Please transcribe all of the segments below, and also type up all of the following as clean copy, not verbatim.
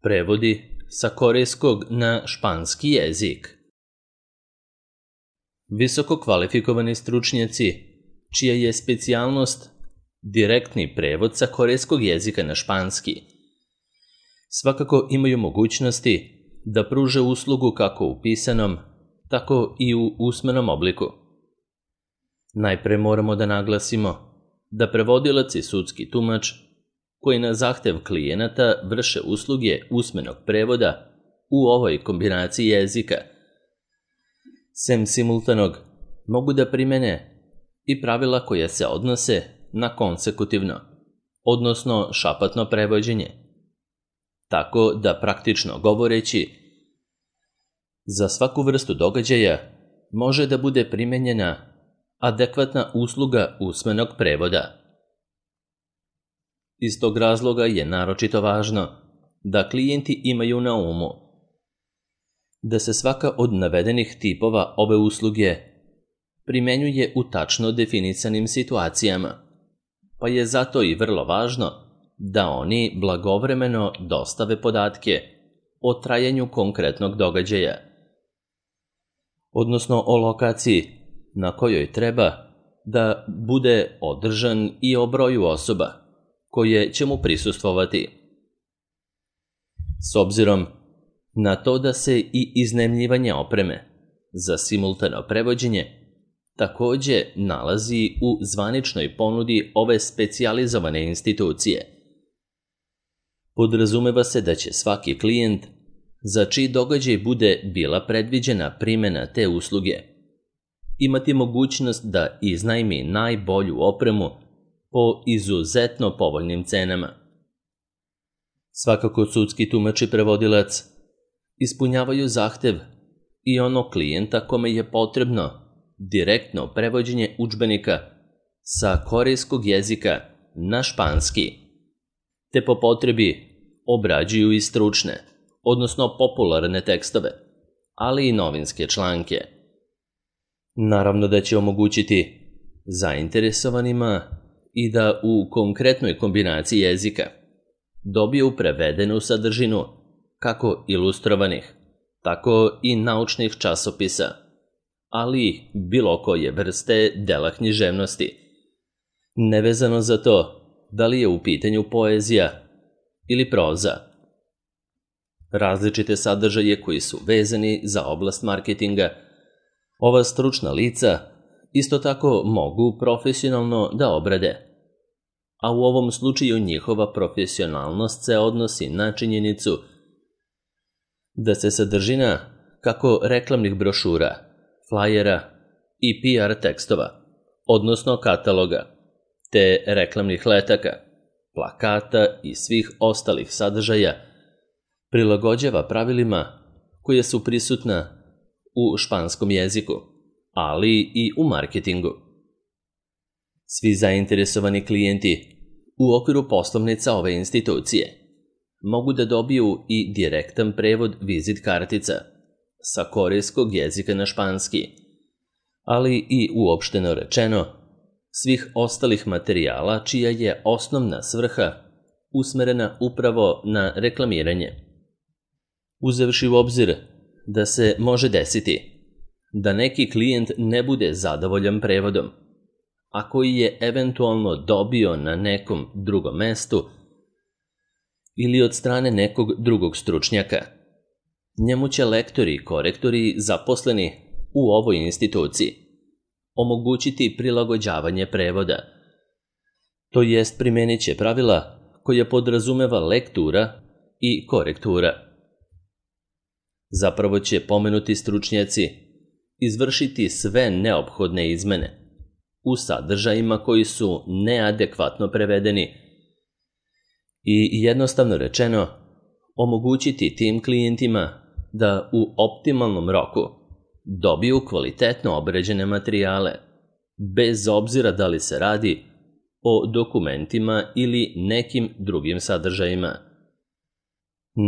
Prevodi sa korejskog na španski jezik. Visoko kvalifikovani stručnjaci, čija je specijalnost direktni prevod sa korejskog jezika na španski, svakako imaju mogućnosti da pruže uslugu kako u pisanom, tako i u usmenom obliku. Najpre moramo da naglasimo da prevodilac i sudski tumač koji na zahtev klijenata vrše usluge usmenog prevoda u ovoj kombinaciji jezika, sem simultanog, mogu da primene i pravila koja se odnose na konsekutivno, odnosno šapatno prevođenje. Tako da praktično govoreći, za svaku vrstu događaja može da bude primenjena adekvatna usluga usmenog prevoda. Iz tog razloga je naročito važno da klijenti imaju na umu da se svaka od navedenih tipova ove usluge primenjuje u tačno definisanim situacijama, pa je zato i vrlo važno da oni blagovremeno dostave podatke o trajanju konkretnog događaja, odnosno o lokaciji na kojoj treba da bude održan i o broju osoba koje će mu prisustvovati. S obzirom na to da se i iznajmljivanje opreme za simultano prevođenje takođe nalazi u zvaničnoj ponudi ove specijalizovane institucije, podrazumeva se da će svaki klijent za čiji događaj bude bila predviđena primena te usluge imati mogućnost da iznajmi najbolju opremu po izuzetno povoljnim cenama. Svakako sudski tumač i prevodilac ispunjavaju zahtev i onog klijenta kome je potrebno direktno prevođenje udžbenika sa korejskog jezika na španski, te po potrebi obrađuju i stručne, odnosno popularne tekstove, ali i novinske članke. Naravno da će omogućiti zainteresovanima i da u konkretnoj kombinaciji jezika dobiju prevedenu sadržinu kako ilustrovanih, tako i naučnih časopisa, ali bilo koje vrste dela književnosti, nevezano za to da li je u pitanju poezija ili proza. Različite sadržaje koji su vezani za oblast marketinga, ova stručna lica isto tako mogu profesionalno da obrade, a u ovom slučaju njihova profesionalnost se odnosi na činjenicu da se sadržina kako reklamnih brošura, flajera i PR tekstova, odnosno kataloga, te reklamnih letaka, plakata i svih ostalih sadržaja prilagođava pravilima koje su prisutna u španskom jeziku, ali i u marketingu. Svi zainteresovani klijenti u okviru poslovnica ove institucije mogu da dobiju i direktan prevod vizit kartica sa korejskog jezika na španski, ali i uopšteno rečeno svih ostalih materijala čija je osnovna svrha usmerena upravo na reklamiranje. Uzevši u obzir da se može desiti da neki klijent ne bude zadovoljan prevodom, a koji je eventualno dobio na nekom drugom mestu ili od strane nekog drugog stručnjaka, njemu će lektori i korektori zaposleni u ovoj instituciji omogućiti prilagođavanje prevoda, to jest primenit će pravila koja podrazumeva lektura i korektura. Zapravo će pomenuti stručnjaci izvršiti sve neophodne izmene u sadržajima koji su neadekvatno prevedeni i jednostavno rečeno omogućiti tim klijentima da u optimalnom roku dobiju kvalitetno obrađene materijale, bez obzira da li se radi o dokumentima ili nekim drugim sadržajima.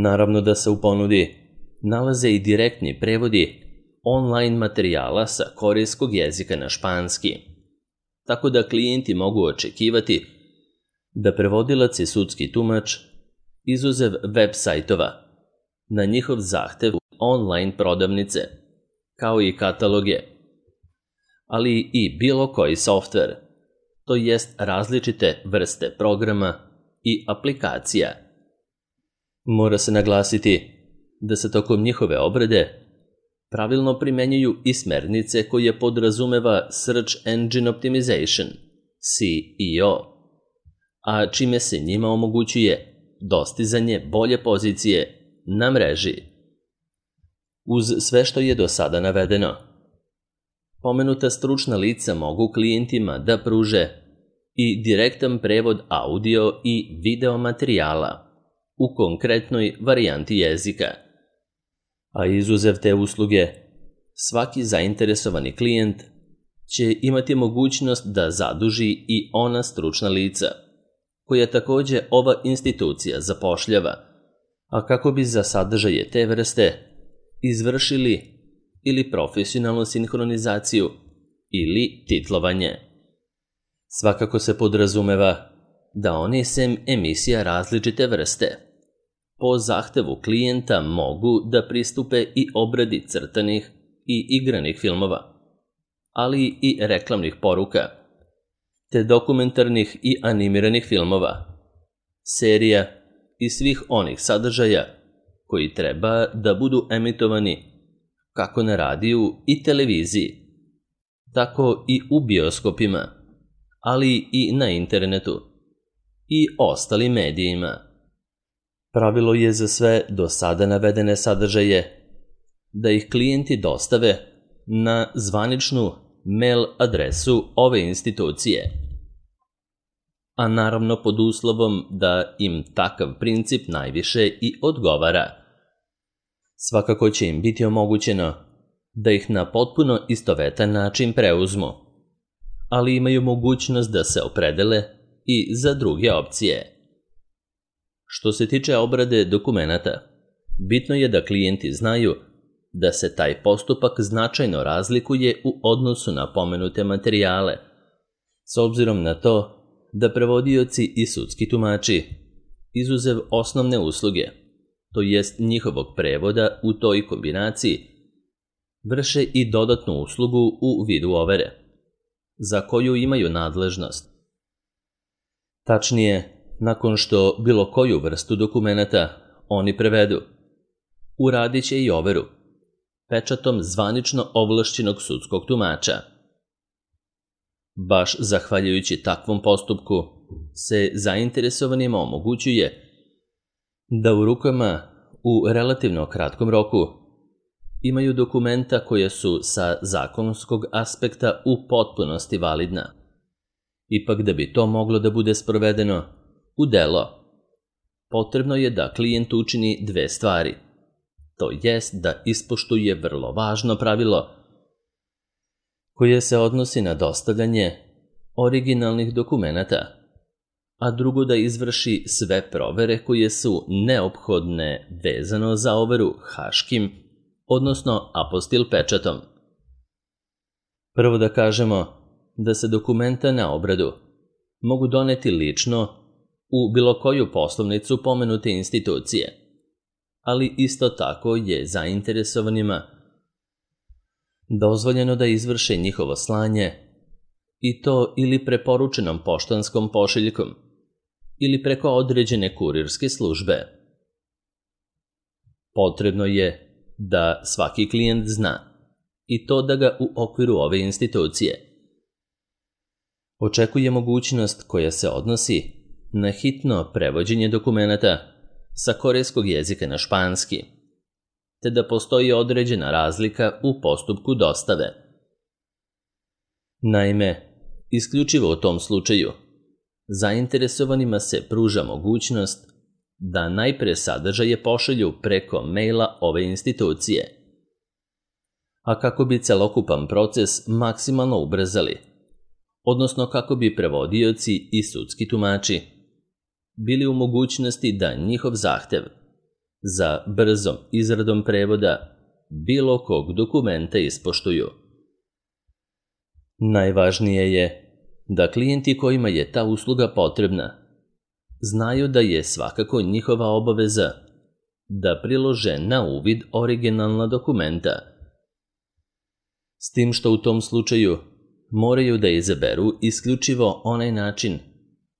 Naravno da se u ponudi nalaze i direktni prevodi online materijala sa korejskog jezika na španski, tako da klijenti mogu očekivati da prevodilac i sudski tumač, izuzev web sajtova na njihov zahtev online prodavnice, kao i kataloge, ali i bilo koji softver, to jest različite vrste programa i aplikacija. Mora se naglasiti da se tokom njihove obrade pravilno primenjuju i smernice koje podrazumeva Search Engine Optimization, SEO, a čime se njima omogućuje dostizanje bolje pozicije na mreži. Uz sve što je do sada navedeno, pomenuta stručna lica mogu klijentima da pruže i direktan prevod audio i video materijala u konkretnoj varijanti jezika, a izuzev te usluge, svaki zainteresovani klijent će imati mogućnost da zaduži i ona stručna lica, koja takođe ova institucija zapošljava, a kako bi za sadržaje te vrste izvršili ili profesionalnu sinhronizaciju ili titlovanje. Svakako se podrazumeva da oni sem emisija različite vrste po zahtevu klijenta mogu da pristupe i obradi crtanih i igranih filmova, ali i reklamnih poruka, te dokumentarnih i animiranih filmova, serija i svih onih sadržaja koji treba da budu emitovani kako na radiju i televiziji, tako i u bioskopima, ali i na internetu i ostalim medijima. Pravilo je za sve do sada navedene sadržaje da ih klijenti dostave na zvaničnu mail adresu ove institucije, a naravno pod uslovom da im takav princip najviše i odgovara. Svakako će im biti omogućeno da ih na potpuno istovetan način preuzmu, ali imaju mogućnost da se opredele i za druge opcije. Što se tiče obrade dokumenata, bitno je da klijenti znaju da se taj postupak značajno razlikuje u odnosu na pomenute materijale, s obzirom na to da prevodioci i sudski tumači, izuzev osnovne usluge, to jest njihovog prevoda u toj kombinaciji, vrše i dodatnu uslugu u vidu overe, za koju imaju nadležnost. Tačnije, nakon što bilo koju vrstu dokumenata oni prevedu, uradit će i overu pečatom zvanično ovlašćenog sudskog tumača. Baš zahvaljujući takvom postupku se zainteresovanima omogućuje da u rukama u relativno kratkom roku imaju dokumenta koja su sa zakonskog aspekta u potpunosti validna. Ipak da bi to moglo da bude sprovedeno u delo, potrebno je da klijent učini dve stvari. To jest da ispoštuje vrlo važno pravilo koje se odnosi na dostavljanje originalnih dokumenata, a drugo da izvrši sve provere koje su neophodne vezano za overu haškim, odnosno apostil pečatom. Prvo da kažemo da se dokumenta na obradu mogu doneti lično u bilo koju poslovnicu pomenute institucije, ali isto tako je zainteresovanima dozvoljeno da izvrše njihovo slanje i to ili preporučenom poštanskom pošiljkom ili preko određene kurirske službe. Potrebno je da svaki klijent zna i to da ga u okviru ove institucije očekuje mogućnost koja se odnosi na hitno prevođenje dokumenata sa korejskog jezika na španski, te da postoji određena razlika u postupku dostave. Naime, isključivo u tom slučaju, zainteresovanima se pruža mogućnost da najpre sadržaje pošalju preko maila ove institucije, a kako bi celokupan proces maksimalno ubrzali, odnosno kako bi prevodioci i sudski tumači bili u mogućnosti da njihov zahtev za brzom izradom prevoda bilo kog dokumenta ispoštuju. Najvažnije je da klijenti kojima je ta usluga potrebna znaju da je svakako njihova obaveza da prilože na uvid originalna dokumenta. S tim što u tom slučaju moraju da izaberu isključivo onaj način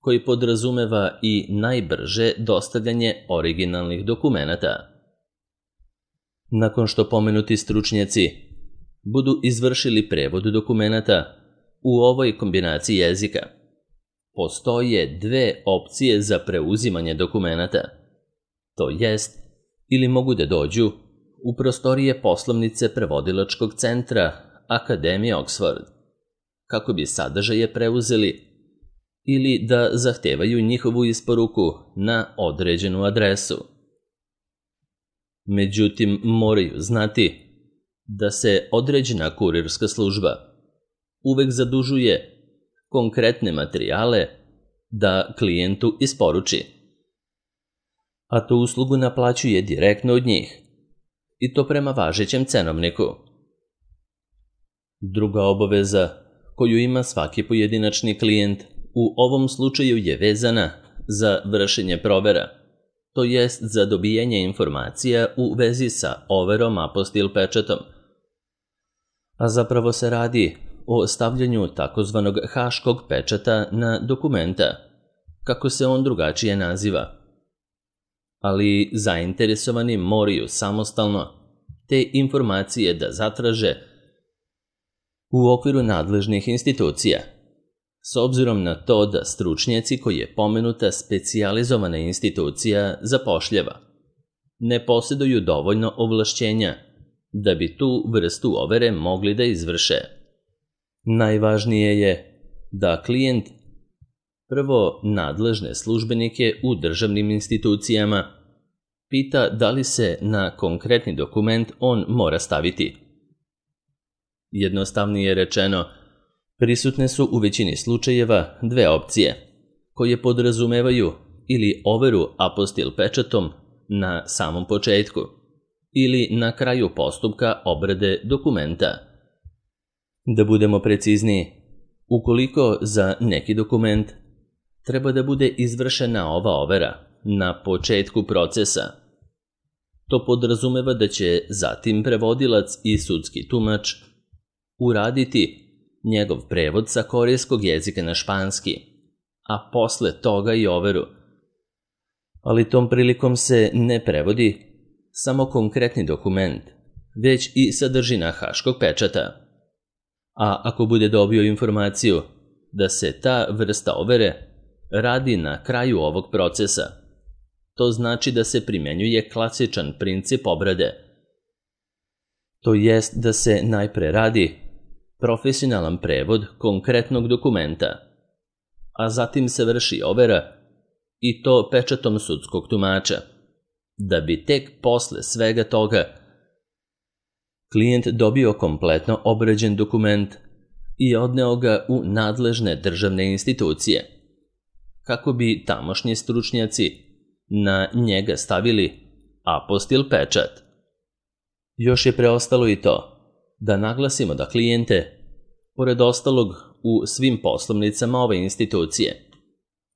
koji podrazumeva i najbrže dostavljanje originalnih dokumenata. Nakon što pomenuti stručnjaci budu izvršili prevod dokumenata u ovoj kombinaciji jezika, postoje dve opcije za preuzimanje dokumenata, to jest ili mogu da dođu u prostorije poslovnice prevodilačkog centra Akademije Oxford, kako bi sadržaje preuzeli, ili da zahtevaju njihovu isporuku na određenu adresu. Međutim, moraju znati da se određena kurirska služba uvek zadužuje konkretne materijale da klijentu isporuči, a tu uslugu naplaćuje direktno od njih, i to prema važećem cenovniku. Druga obaveza koju ima svaki pojedinačni klijent u ovom slučaju je vezana za vršenje provera, to jest za dobijanje informacija u vezi sa overom apostil pečatom. A zapravo se radi o stavljanju takozvanog haškog pečata na dokumenta, kako se on drugačije naziva. Ali zainteresovani moraju samostalno te informacije da zatraže u okviru nadležnih institucija, s obzirom na to da stručnjaci koji je pomenuta specijalizovana institucija zapošljava ne posjeduju dovoljno ovlašćenja da bi tu vrstu overe mogli da izvrše. Najvažnije je da klijent prvo nadležne službenike u državnim institucijama pita da li se na konkretni dokument on mora staviti. Jednostavnije rečeno, prisutne su u većini slučajeva dve opcije, koje podrazumevaju ili overu apostil pečatom na samom početku ili na kraju postupka obrade dokumenta. Da budemo precizniji, ukoliko za neki dokument treba da bude izvršena ova overa na početku procesa, to podrazumeva da će zatim prevodilac i sudski tumač uraditi njegov prevod sa korejskog jezika na španski, a posle toga i overu. Ali tom prilikom se ne prevodi samo konkretni dokument, već i sadržina haškog pečata. A ako bude dobio informaciju da se ta vrsta overe radi na kraju ovog procesa, to znači da se primenjuje klasičan princip obrade. To jest da se najpre radi profesionalan prevod konkretnog dokumenta, a zatim se vrši overa i to pečatom sudskog tumača, da bi tek posle svega toga klijent dobio kompletno obrađen dokument i odneo ga u nadležne državne institucije, kako bi tamošnji stručnjaci na njega stavili apostil pečat. Još je preostalo i to da naglasimo da klijente, pored ostalog u svim poslovnicama ove institucije,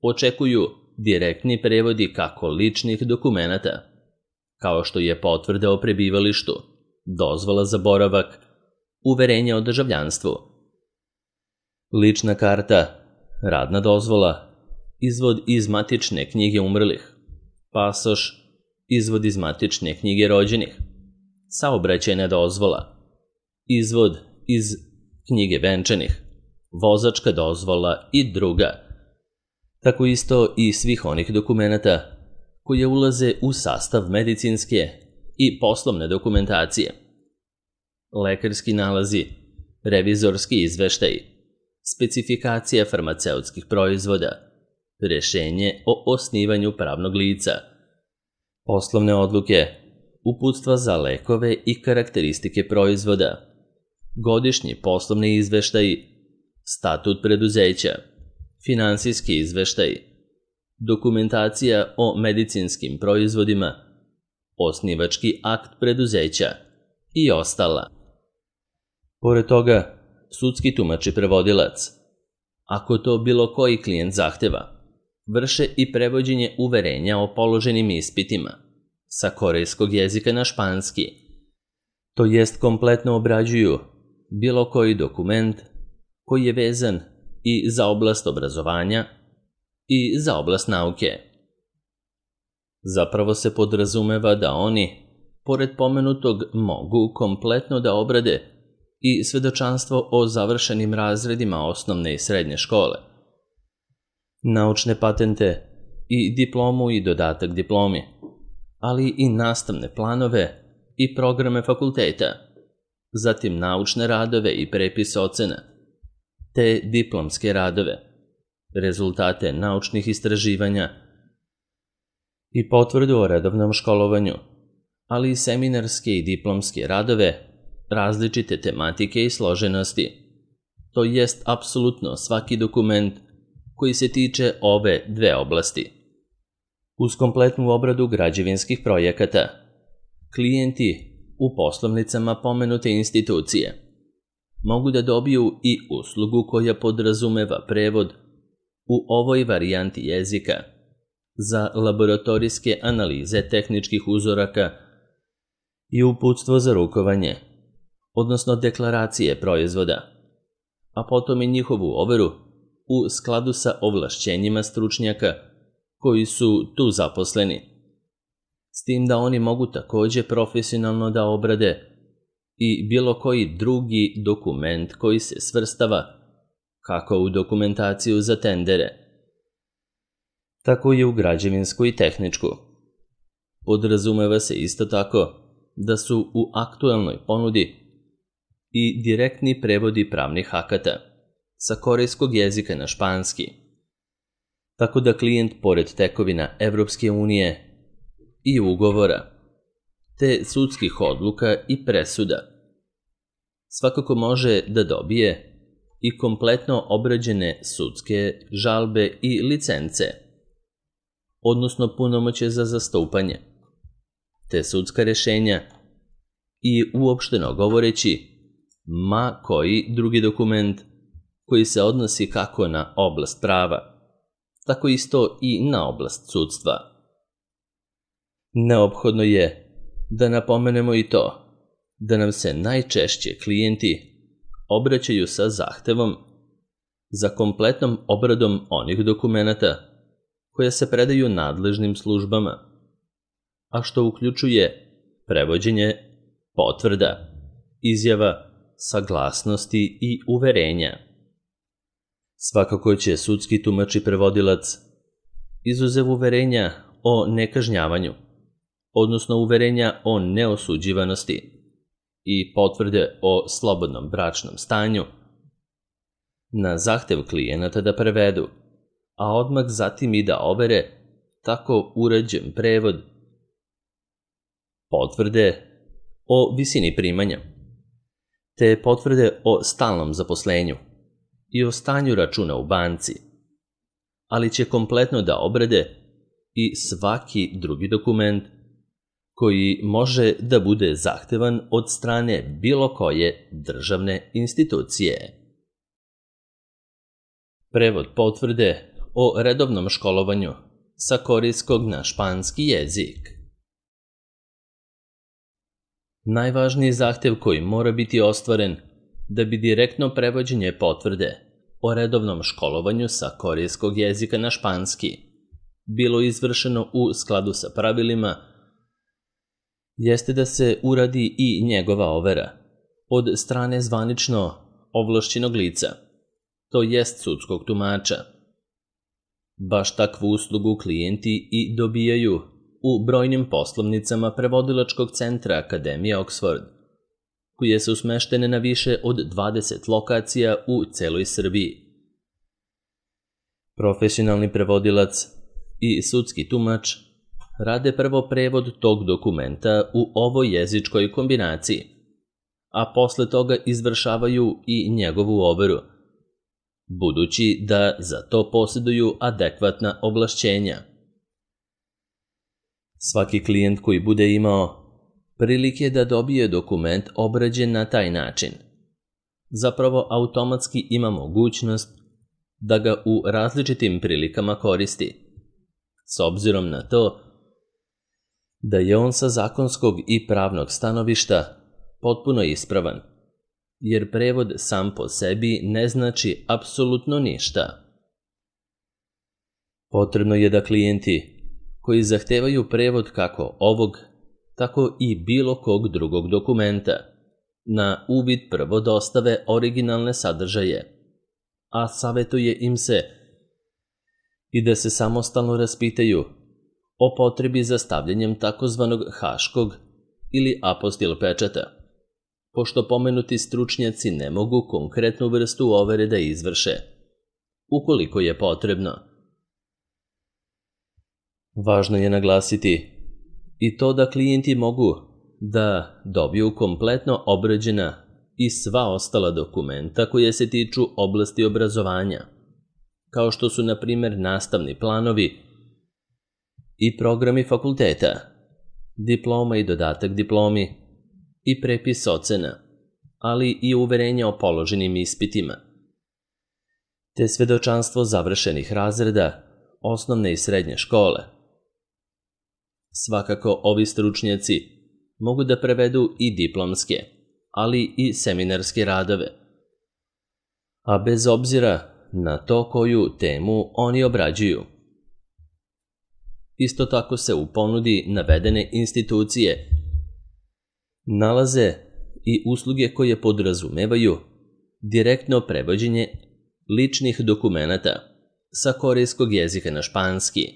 očekuju direktni prevodi kako ličnih dokumenata, kao što je potvrda o prebivalištu, dozvola za boravak, uverenje o državljanstvu, lična karta, radna dozvola, izvod iz matične knjige umrlih, pasoš, izvod iz matične knjige rođenih, saobraćajna dozvola, izvod iz knjige venčanih, vozačka dozvola i druga. Tako isto i svih onih dokumenata koje ulaze u sastav medicinske i poslovne dokumentacije, lekarski nalazi, revizorski izveštaji, specifikacija farmaceutskih proizvoda, rešenje o osnivanju pravnog lica, poslovne odluke, uputstva za lekove i karakteristike proizvoda, godišnji poslovni izveštaji, statut preduzeća, finansijski izveštaji, dokumentacija o medicinskim proizvodima, osnivački akt preduzeća i ostala. Pored toga, sudski tumač i prevodilac, ako to bilo koji klijent zahteva, vrše i prevođenje uverenja o položenim ispitima, sa korejskog jezika na španski, to jest kompletno obrađuju bilo koji dokument koji je vezan i za oblast obrazovanja i za oblast nauke. Zapravo se podrazumeva da oni, pored pomenutog, mogu kompletno da obrade i svedočanstvo o završenim razredima osnovne i srednje škole, naučne patente i diplomu i dodatak diplomi, ali i nastavne planove i programe fakulteta, zatim naučne radove i prepis ocena, te diplomske radove, rezultate naučnih istraživanja i potvrdu o redovnom školovanju, ali i seminarske i diplomske radove različite tematike i složenosti, to jest apsolutno svaki dokument koji se tiče ove dve oblasti. Uz kompletnu obradu građevinskih projekata, klijenti u poslovnicama pomenute institucije mogu da dobiju i uslugu koja podrazumeva prevod u ovoj varijanti jezika za laboratorijske analize tehničkih uzoraka i uputstvo za rukovanje, odnosno deklaracije proizvoda, a potom i njihovu overu u skladu sa ovlašćenjima stručnjaka koji su tu zaposleni, s tim da oni mogu takođe profesionalno da obrade i bilo koji drugi dokument koji se svrstava kako u dokumentaciju za tendere, tako i u građevinsku i tehničku. Podrazumeva se isto tako da su u aktuelnoj ponudi i direktni prevodi pravnih akata sa korejskog jezika na španski, tako da klijent pored tekovina Evropske unije i ugovora, te sudskih odluka i presuda, svakako može da dobije i kompletno obrađene sudske žalbe i licence, odnosno punomoćje za zastupanje, te sudska rešenja i uopšteno govoreći ma koji drugi dokument koji se odnosi kako na oblast prava, tako isto i na oblast sudstva. Neophodno je da napomenemo i to da nam se najčešće klijenti obraćaju sa zahtevom za kompletnom obradom onih dokumenata koja se predaju nadležnim službama, a što uključuje prevođenje potvrda, izjava, saglasnosti i uverenja. Svakako će sudski tumač i prevodilac, izuzev uverenja o nekažnjavanju, odnosno uverenja o neosuđivanosti i potvrde o slobodnom bračnom stanju, na zahtev klijenata da prevedu, a odmah zatim i da overe tako uređen prevod potvrde o visini primanja, te potvrde o stalnom zaposlenju i o stanju računa u banci, ali će kompletno da obrade i svaki drugi dokument koji može da bude zahtevan od strane bilo koje državne institucije. Prevod potvrde o redovnom školovanju sa korejskog na španski jezik. Najvažniji zahtev koji mora biti ostvaren da bi direktno prevođenje potvrde o redovnom školovanju sa korejskog jezika na španski bilo izvršeno u skladu sa pravilima jeste da se uradi i njegova overa od strane zvanično ovlašćenog lica, to jest sudskog tumača. Baš takvu uslugu klijenti i dobijaju u brojnim poslovnicama prevodilačkog centra Akademije Oxford, koje su smeštene na više od 20 lokacija u celoj Srbiji. Profesionalni prevodilac i sudski tumač rade prvo prevod tog dokumenta u ovoj jezičkoj kombinaciji, a posle toga izvršavaju i njegovu overu, budući da za to posjeduju adekvatna ovlašćenja. Svaki klijent koji bude imao prilike da dobije dokument obrađen na taj način, zapravo automatski ima mogućnost da ga u različitim prilikama koristi, s obzirom na to da je on sa zakonskog i pravnog stanovišta potpuno ispravan, jer prevod sam po sebi ne znači apsolutno ništa. Potrebno je da klijenti koji zahtevaju prevod kako ovog, tako i bilo kog drugog dokumenta, na uvid prvo dostave originalne sadržaje, a savjetuje im se i da se samostalno raspitaju o potrebi za stavljanjem takozvanog haškog ili apostil pečata, pošto pomenuti stručnjaci ne mogu konkretnu vrstu overe da izvrše, ukoliko je potrebno. Važno je naglasiti i to da klijenti mogu da dobiju kompletno obrađena i sva ostala dokumenta koje se tiču oblasti obrazovanja, kao što su, na primjer, nastavni planovi i programi fakulteta, diploma i dodatak diplomi i prepis ocena, ali i uverenja o položenim ispitima, te svedočanstvo završenih razreda osnovne i srednje škole. Svakako, ovi stručnjaci mogu da prevedu i diplomske, ali i seminarske radove, a bez obzira na to koju temu oni obrađuju. Isto tako se u ponudi navedene institucije nalaze i usluge koje podrazumevaju direktno prevođenje ličnih dokumenata sa korejskog jezika na španski,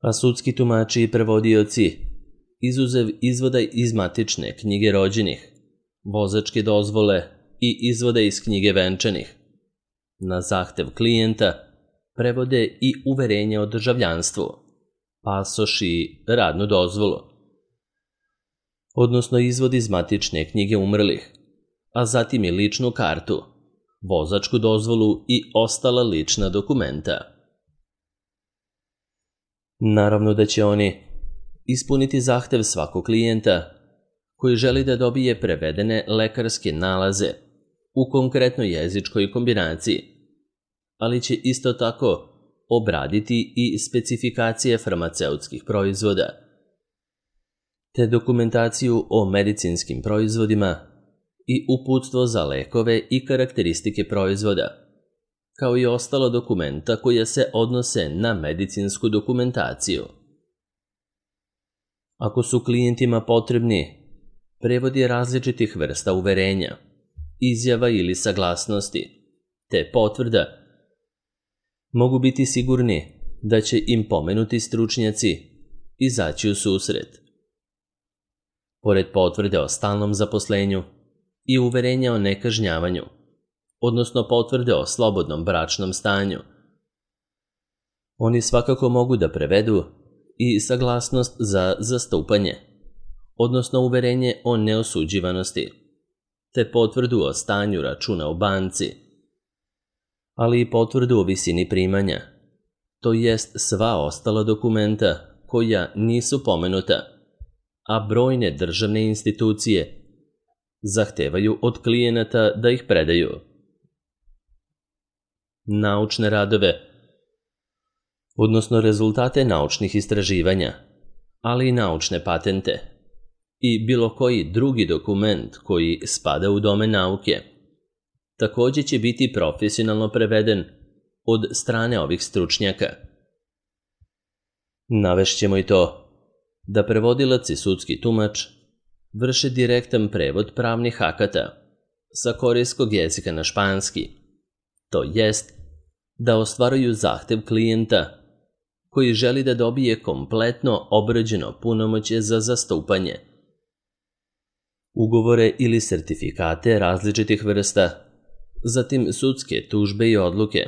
a sudski tumači i prevodioci, izuzev izvoda iz matične knjige rođenih, vozačke dozvole i izvoda iz knjige venčanih, na zahtev klijenta prevode i uverenja o državljanstvu, pasoš i radnu dozvolu, odnosno izvod iz matične knjige umrlih, a zatim i ličnu kartu, vozačku dozvolu i ostala lična dokumenta. Naravno da će oni ispuniti zahtev svakog klijenta koji želi da dobije prevedene lekarske nalaze u konkretnoj jezičkoj kombinaciji, ali će isto tako obraditi i specifikacije farmaceutskih proizvoda, te dokumentaciju o medicinskim proizvodima i uputstvo za lekove i karakteristike proizvoda, kao i ostalo dokumenta koja se odnose na medicinsku dokumentaciju. Ako su klijentima potrebni prevodi različitih vrsta uverenja, izjava ili saglasnosti, te potvrda, mogu biti sigurni da će im pomenuti stručnjaci izaći u susret. Pored potvrde o stalnom zaposlenju i uverenja o nekažnjavanju, odnosno potvrde o slobodnom bračnom stanju, oni svakako mogu da prevedu i saglasnost za zastupanje, odnosno uverenje o neosuđivanosti, te potvrdu o stanju računa u banci, ali i potvrdu o visini primanja, to jest sva ostala dokumenta koja nisu pomenuta, a brojne državne institucije zahtevaju od klijenata da ih predaju. Naučne radove, odnosno rezultate naučnih istraživanja, ali i naučne patente i bilo koji drugi dokument koji spada u domen nauke, također će biti profesionalno preveden od strane ovih stručnjaka. Navešćemo i to da prevodilac i sudski tumač vrše direktan prevod pravnih akata sa korejskog jezika na španski, to jest da ostvaruju zahtev klijenta koji želi da dobije kompletno obrađeno punomoćje za zastupanje, ugovore ili sertifikate različitih vrsta, zatim sudske tužbe i odluke,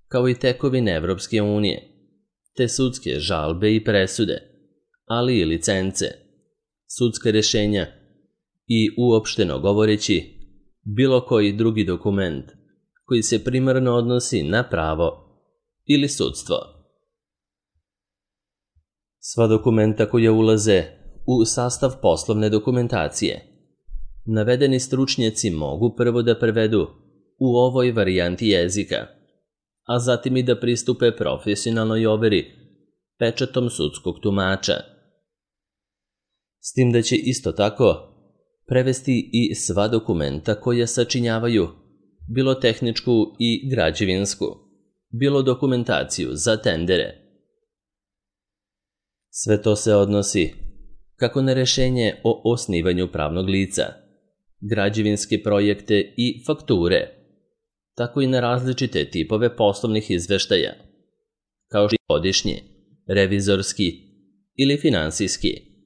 kao i tekovine Evropske unije, te sudske žalbe i presude, ali i licence, sudska rješenja i, uopšteno govoreći, bilo koji drugi dokument koji se primarno odnosi na pravo ili sudstvo. Sva dokumenta koja ulaze u sastav poslovne dokumentacije, navedeni stručnjaci mogu prvo da prevedu u ovoj varijanti jezika, a zatim i da pristupe profesionalnoj overi pečatom sudskog tumača, S tim da će isto tako prevesti i sva dokumenta koja sačinjavaju bilo tehničku i građevinsku, bilo dokumentaciju za tendere. Sve to se odnosi kako na rešenje o osnivanju pravnog lica, građevinske projekte i fakture, tako i na različite tipove poslovnih izveštaja, kao što je godišnji, revizorski ili finansijski.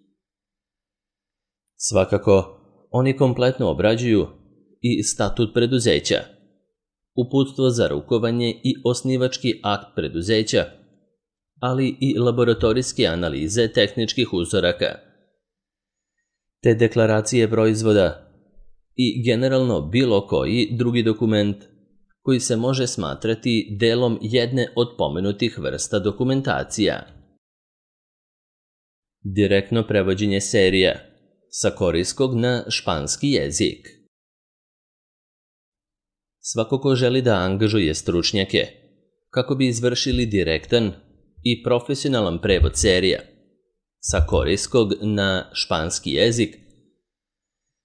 Svakako, oni kompletno obrađuju i statut preduzeća, uputstvo za rukovanje i osnivački akt preduzeća, ali i laboratorijske analize tehničkih uzoraka, te deklaracije proizvoda i generalno bilo koji drugi dokument koji se može smatrati delom jedne od pomenutih vrsta dokumentacija. Direktno prevođenje serija sa korejskog na španski jezik. Svako ko želi da angažuje stručnjake kako bi izvršili direktan i profesionalan prevod serija sa korejskog na španski jezik,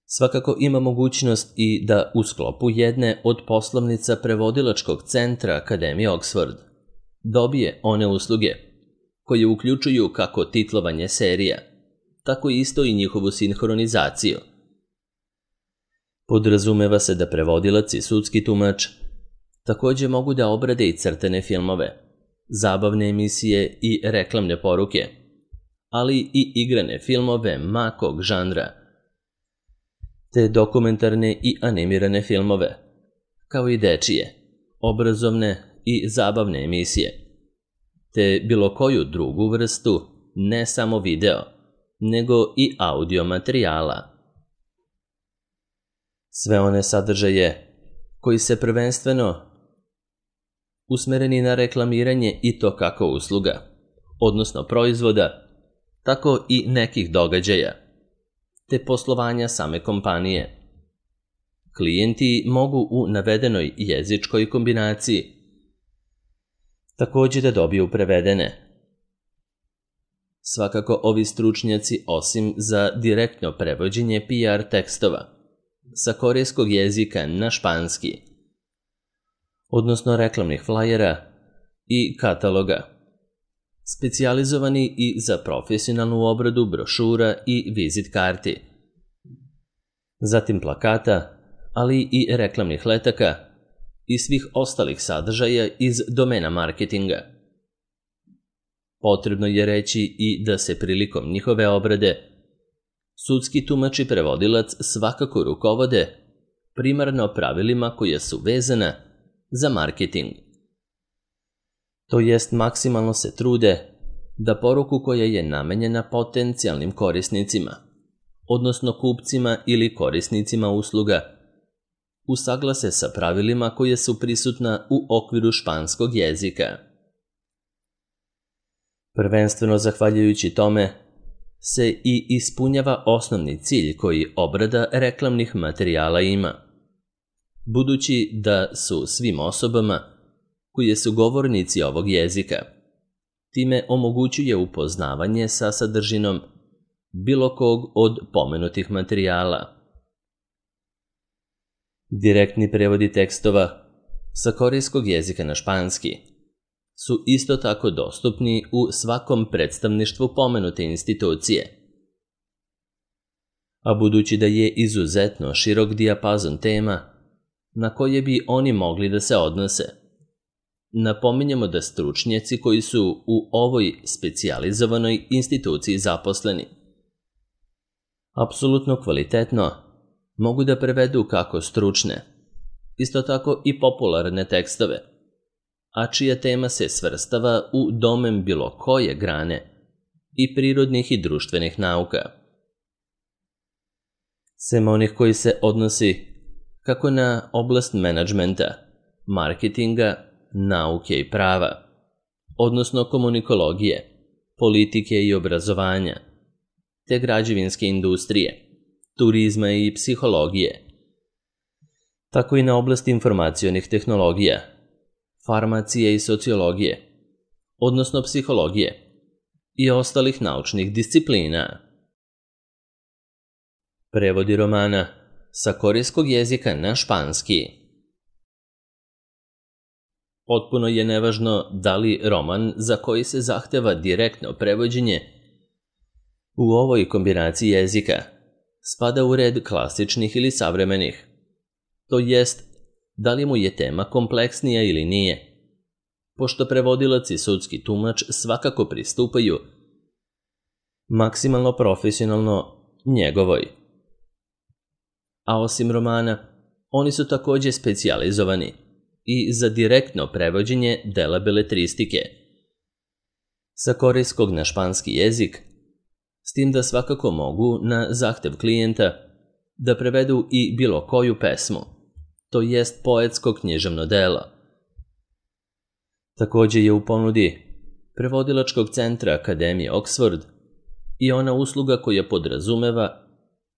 svakako ima mogućnost i da u sklopu jedne od poslovnica prevodilačkog centra Akademije Oxford dobije one usluge koje uključuju kako titlovanje serija, tako isto i njihovu sinhronizaciju. Podrazumeva se da prevodilac i sudski tumač takođe mogu da obrade i crtene filmove, zabavne emisije i reklamne poruke, ali i igrane filmove ma kog žanra, te dokumentarne i animirane filmove, kao i dečije, obrazovne i zabavne emisije, te bilo koju drugu vrstu, ne samo video, nego i audio materijala. Sve one sadržaje koji se prvenstveno usmereni na reklamiranje i to kako usluga, odnosno proizvoda, tako i nekih događaja, te poslovanja same kompanije. Klijenti mogu u navedenoj jezičkoj kombinaciji takođe da dobiju prevedene. Svakako ovi stručnjaci, osim za direktno prevođenje PR tekstova sa korejskog jezika na španski, odnosno reklamnih flajera i kataloga, specijalizovani i za profesionalnu obradu brošura i vizit karti, zatim plakata, ali i reklamnih letaka i svih ostalih sadržaja iz domena marketinga. Potrebno je reći i da se prilikom njihove obrade sudski tumač i prevodilac svakako rukovode primarno pravilima koja su vezana za marketing. To jest maksimalno se trude da poruku koja je namenjena potencijalnim korisnicima, odnosno kupcima ili korisnicima usluga, usaglase sa pravilima koje su prisutna u okviru španskog jezika. Prvenstveno zahvaljujući tome se i ispunjava osnovni cilj koji obrada reklamnih materijala ima, budući da su svim osobama koje su govornici ovog jezika time omogućuje upoznavanje sa sadržinom bilo kog od pomenutih materijala. Direktni prevodi tekstova sa korejskog jezika na španski su isto tako dostupni u svakom predstavništvu pomenute institucije. A budući da je izuzetno širok dijapazon tema na koje bi oni mogli da se odnose, napominjemo da stručnjaci koji su u ovoj specijalizovanoj instituciji zaposleni apsolutno kvalitetno mogu da prevedu kako stručne, isto tako i popularne tekstove, a čija tema se svrstava u domen bilo koje grane i prirodnih i društvenih nauka. Sem onih koji se odnosi kako na oblast menadžmenta, marketinga, nauke i prava, odnosno komunikologije, politike i obrazovanja, te građevinske industrije, turizma i psihologije, tako i na oblast informacionih tehnologija, farmacije i sociologije, odnosno psihologije i ostalih naučnih disciplina. Prevodi romana sa korejskog jezika na španski. Potpuno je nevažno da li roman za koji se zahteva direktno prevođenje u ovoj kombinaciji jezika spada u red klasičnih ili savremenih, to jest da li mu je tema kompleksnija ili nije, pošto prevodilac i sudski tumač svakako pristupaju maksimalno profesionalno njegovoj. A osim romana, oni su također specijalizovani i za direktno prevođenje dela beletristike sa korejskog na španski jezik, s tim da svakako mogu na zahtev klijenta da prevedu i bilo koju pesmu, to jest poetsko književno delo. Također je u ponudi prevodilačkog centra Akademije Oxford i ona usluga koja podrazumeva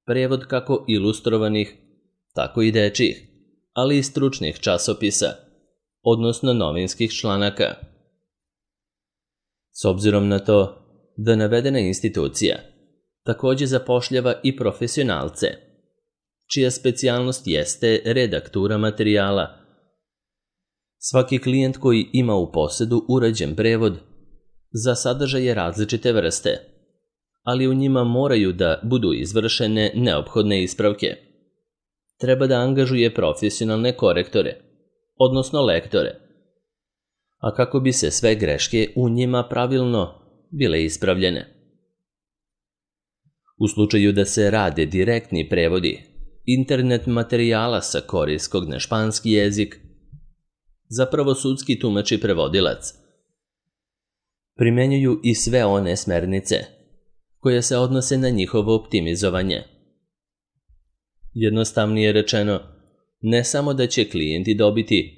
prevod kako ilustrovanih, tako i dečjih, ali i stručnih časopisa, odnosno novinskih članaka. S obzirom na to da navedena institucija također zapošljava i profesionalce, čija specijalnost jeste redaktura materijala. Svaki klijent koji ima u posedu urađen prevod za sadržaje različite vrste, ali u njima moraju da budu izvršene neophodne ispravke, treba da angažuje profesionalne korektore, odnosno lektore, a kako bi se sve greške u njima pravilno bile ispravljene. U slučaju da se rade direktni prevodi internet materijala sa korejskog na španski jezik, zapravo sudski tumač i prevodilac primenjuju i sve one smernice koje se odnose na njihovo optimizovanje. Jednostavnije rečeno, ne samo da će klijenti dobiti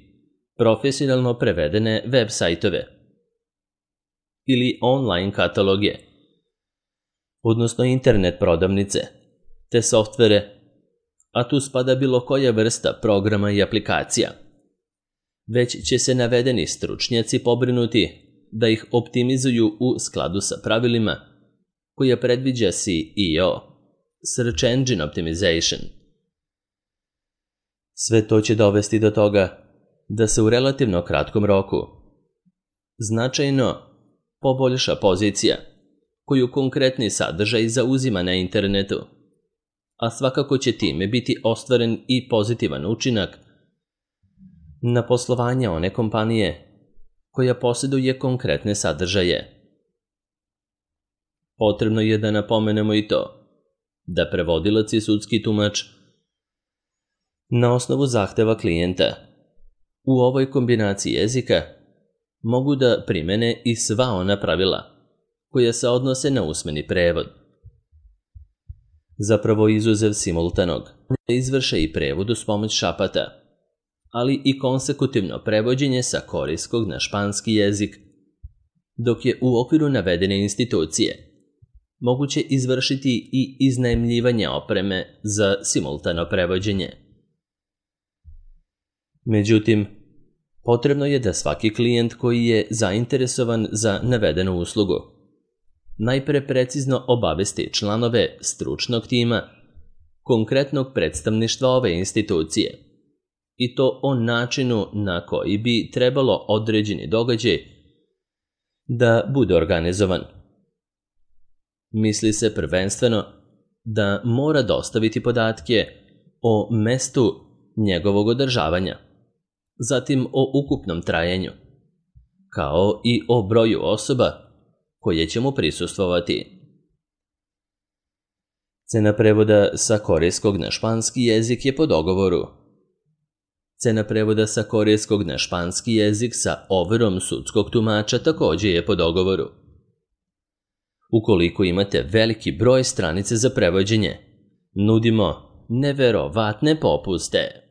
profesionalno prevedene web sajtove ili online kataloge, odnosno internet prodavnice, te softvere, a tu spada bilo koja vrsta programa i aplikacija, već će se navedeni stručnjaci pobrinuti da ih optimizuju u skladu sa pravilima koja predviđa SEO, Search Engine Optimization. Sve to će dovesti do toga da se u relativno kratkom roku značajno poboljša pozicija koju konkretni sadržaj zauzima na internetu, a svakako će time biti ostvaren i pozitivan učinak na poslovanje one kompanije koja posjeduje konkretne sadržaje. Potrebno je da napomenemo i to da prevodilac i sudski tumač na osnovu zahteva klijenta u ovoj kombinaciji jezika mogu da primene i sva ona pravila koja se odnose na usmeni prevod. Zapravo izuzev simultanog, da izvrše i prevod uz pomoć šapata, ali i konsekutivno prevođenje sa korejskog na španski jezik, dok je u okviru navedene institucije moguće izvršiti i iznajmljivanje opreme za simultano prevođenje. Međutim, potrebno je da svaki klijent koji je zainteresovan za navedenu uslugu najpre precizno obavesti članove stručnog tima konkretnog predstavništva ove institucije i to o načinu na koji bi trebalo određeni događaj da bude organizovan. Misli se prvenstveno da mora dostaviti podatke o mestu njegovog održavanja, zatim o ukupnom trajanju, kao i o broju osoba koje će mu prisustvovati. Cena prevoda sa korejskog na španski jezik je po dogovoru. Cena prevoda sa korejskog na španski jezik sa overom sudskog tumača također je po dogovoru. Ukoliko imate veliki broj stranice za prevođenje, nudimo neverovatne popuste.